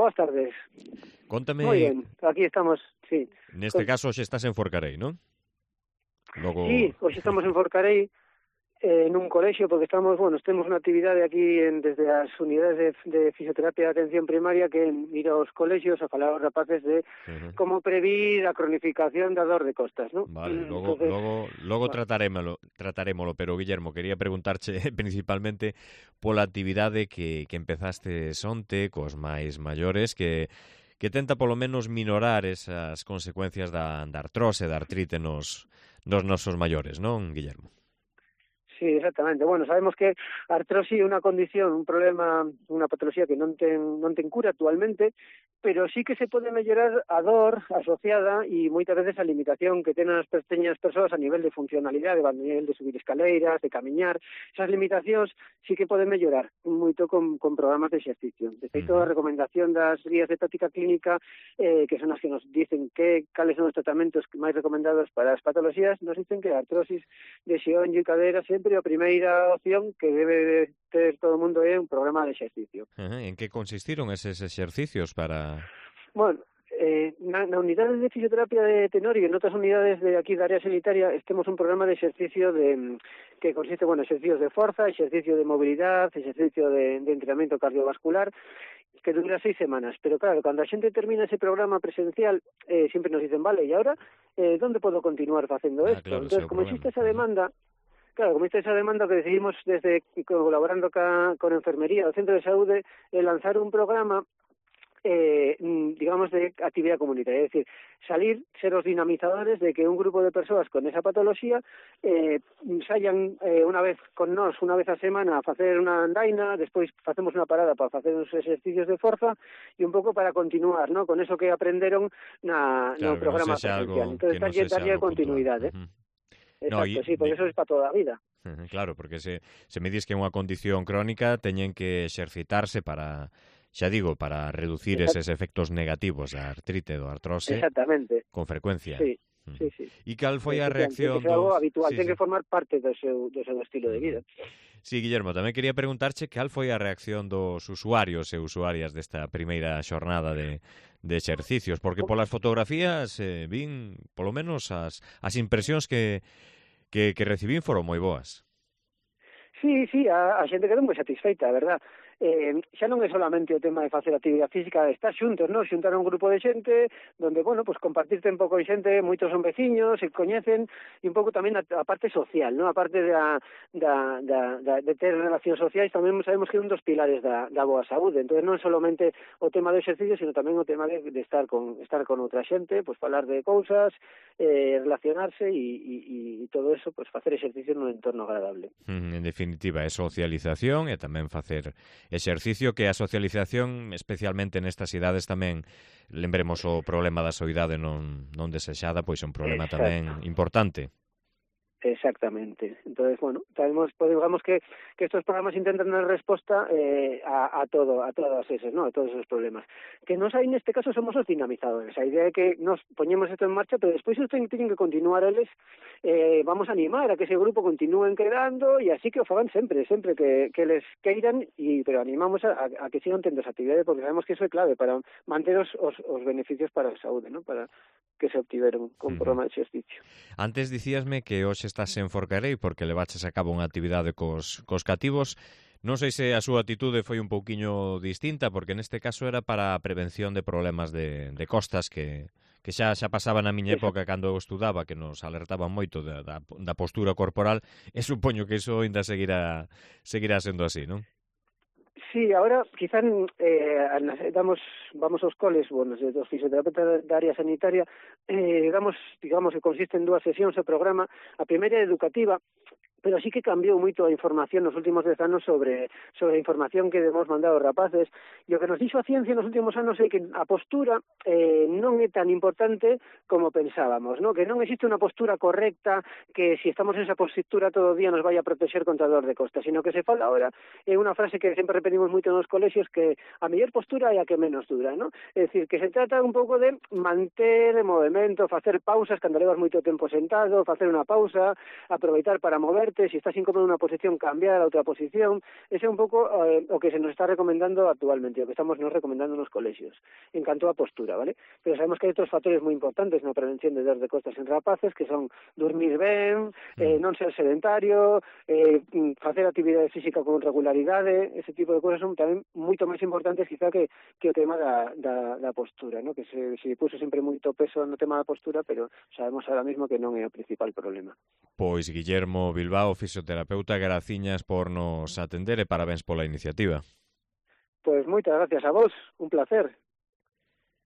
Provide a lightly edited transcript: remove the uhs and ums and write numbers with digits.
boas tardes. Contame... Moi ben, aquí estamos, sí. Neste caso hoxe estás en Forcarei, non? Logo... Sí, hoxe estamos en Forcarei, nun colexio, porque temos unha actividade aquí desde as unidades de fisioterapia de atención primaria que ir aos colexios a falar aos rapaces de como previr a cronificación da dor de costas, non? Vale, logo tratarémolo, pero Guillermo, quería preguntarche principalmente pola actividade que empezaste onte cos máis maiores que tenta polo menos minorar esas consecuencias da artrose, da artrite nos nosos maiores, non, Guillermo? Sí, exactamente. Bueno, sabemos que a artrosis é unha condición, un problema, unha patoloxía que non ten cura actualmente, pero sí que se pode mellorar a dor asociada e moitas veces a limitación que tenen as pequeñas persoas a nivel de funcionalidade, a nivel de subir escaleiras, de camiñar. Esas limitacións sí que poden mellorar moito con programas de exercicio. De feito, a recomendación das guías de práctica clínica, que son as que nos dicen cales son os tratamentos máis recomendados para as patoloxías, nos dicen que a artrosis de xeonllo e cadera sempre a primeira opción que debe ter todo o mundo é un programa de exercicio. En que consistiron eses exercicios para... Bueno, na unidade de fisioterapia de Tenorio e en outras unidades de aquí da área sanitaria temos un programa de exercicio que consiste, exercicios de forza, exercicio de movilidade, exercicio de entrenamiento cardiovascular, que dura 6 semanas. Pero claro, cando a xente termina ese programa presencial, sempre nos dicen, vale, e agora, ¿dónde podo continuar facendo isto? Claro, entón, como existe esa demanda... Claro, como esa demanda que decidimos desde colaborando con Enfermería do Centro de Saúde lanzar un programa digamos de actividade comunitaria, é dicir, ser os dinamizadores de que un grupo de persoas con esa patoloxía saian unha vez con nós, unha vez a semana a facer unha andaina, despois facemos unha parada para facer uns exercicios de forza e un pouco para continuar, ¿no? Con eso que aprenderon no programa presencial. Entón, darlle continuidade. Exacto, sí, porque eso é para toda a vida. Claro, porque se me dis que é unha condición crónica, teñen que exercitarse para, xa digo, para reducir eses efectos negativos da artrite, do artrose. Exactamente. Con frecuencia. Sí. E cal foi a reacción dos... É algo habitual, ten que formar parte do seu estilo de vida. Sí, Guillermo, tamén quería preguntarche cal foi a reacción dos usuarios e usuarias desta primeira xornada de exercicios, porque polas fotografías vin, polo menos, as impresións que recibín foron moi boas. Sí, a xente quedou moi satisfeita, a verdad. Xa non é solamente o tema de facer actividade física, de estar xuntos, non? Xuntar un grupo de xente donde, compartir tempo con xente, moitos son veciños, se coñecen, e un pouco tamén a parte social, non? A parte de ter relacións sociais, tamén sabemos que é un dos pilares da boa saúde. Entón, non é solamente o tema do exercicio, sino tamén o tema de estar con outra xente, falar de cousas, relacionarse e todo eso, facer exercicio nun entorno agradable. En definitiva, é socialización e tamén facer exercicio, que a socialización, especialmente nestas idades tamén, lembremos o problema da soidade non desexada, pois é un problema tamén importante. Exactamente. Entonces, digamos que estos programas intentan dar resposta a todas esos, ¿no? A todos esos problemas. Que nos hai neste caso somos os dinamizadores. A idea é que nos poñemos isto en marcha, pero despois tienen que continuar eles, vamos a animar a que ese grupo continúen quedando e así que o fagan sempre que les queiran, pero animamos a que sigan tendo esa actividade, porque sabemos que eso é clave para manter os beneficios para a saúde, ¿no? Para que se obtiveron con programa de exercicio. Antes dicíasme que hoxe estás en Forcarei porque levaches a cabo unha actividade cos cativos. Non sei se a súa atitude foi un pouquiño distinta, porque neste caso era para a prevención de problemas de costas que xa pasaba na miña época cando eu estudaba, que nos alertaban moito da postura corporal, e supoño que iso ainda seguirá sendo así, non? Sí, ahora quizá vamos aos coles, dos fisioterapeutas da área sanitaria, digamos que consiste en 2 sesións o programa. A primeira é educativa, pero sí que cambiou moito a información nos últimos 10 anos sobre a información que debemos mandar aos rapaces, e o que nos dixo a ciencia nos últimos anos é que a postura non é tan importante como pensábamos, ¿no? Que non existe unha postura correcta que si estamos en esa postura todo o día nos vai a proteger contra a dor de costa, sino que se fala ahora, é unha frase que sempre repetimos moito nos colexios, que a mellor postura é a que menos dura, ¿no? É dicir, que se trata un pouco de manter o movimento, facer pausas cando levas moito tempo sentado, facer unha pausa, aproveitar para mover moverte, se estás incómodo en unha posición, cambiar a outra posición. Ese é un pouco o que se nos está recomendando actualmente, o que estamos nos recomendando nos colexios, en canto a postura, vale? Pero sabemos que hai outros factores moi importantes na prevención de dor de costas en rapaces, que son dormir ben, non ser sedentario, facer actividade física con regularidade, ese tipo de cousas son tamén moito máis importantes quizá que o tema da postura, ¿no? Que se puso sempre moito peso no tema da postura, pero sabemos ahora mismo que non é o principal problema. Pois Guillermo Bilbao, fisioterapeuta, graciñas por nos atender e parabéns pola iniciativa. Pois moitas gracias a vos, un placer.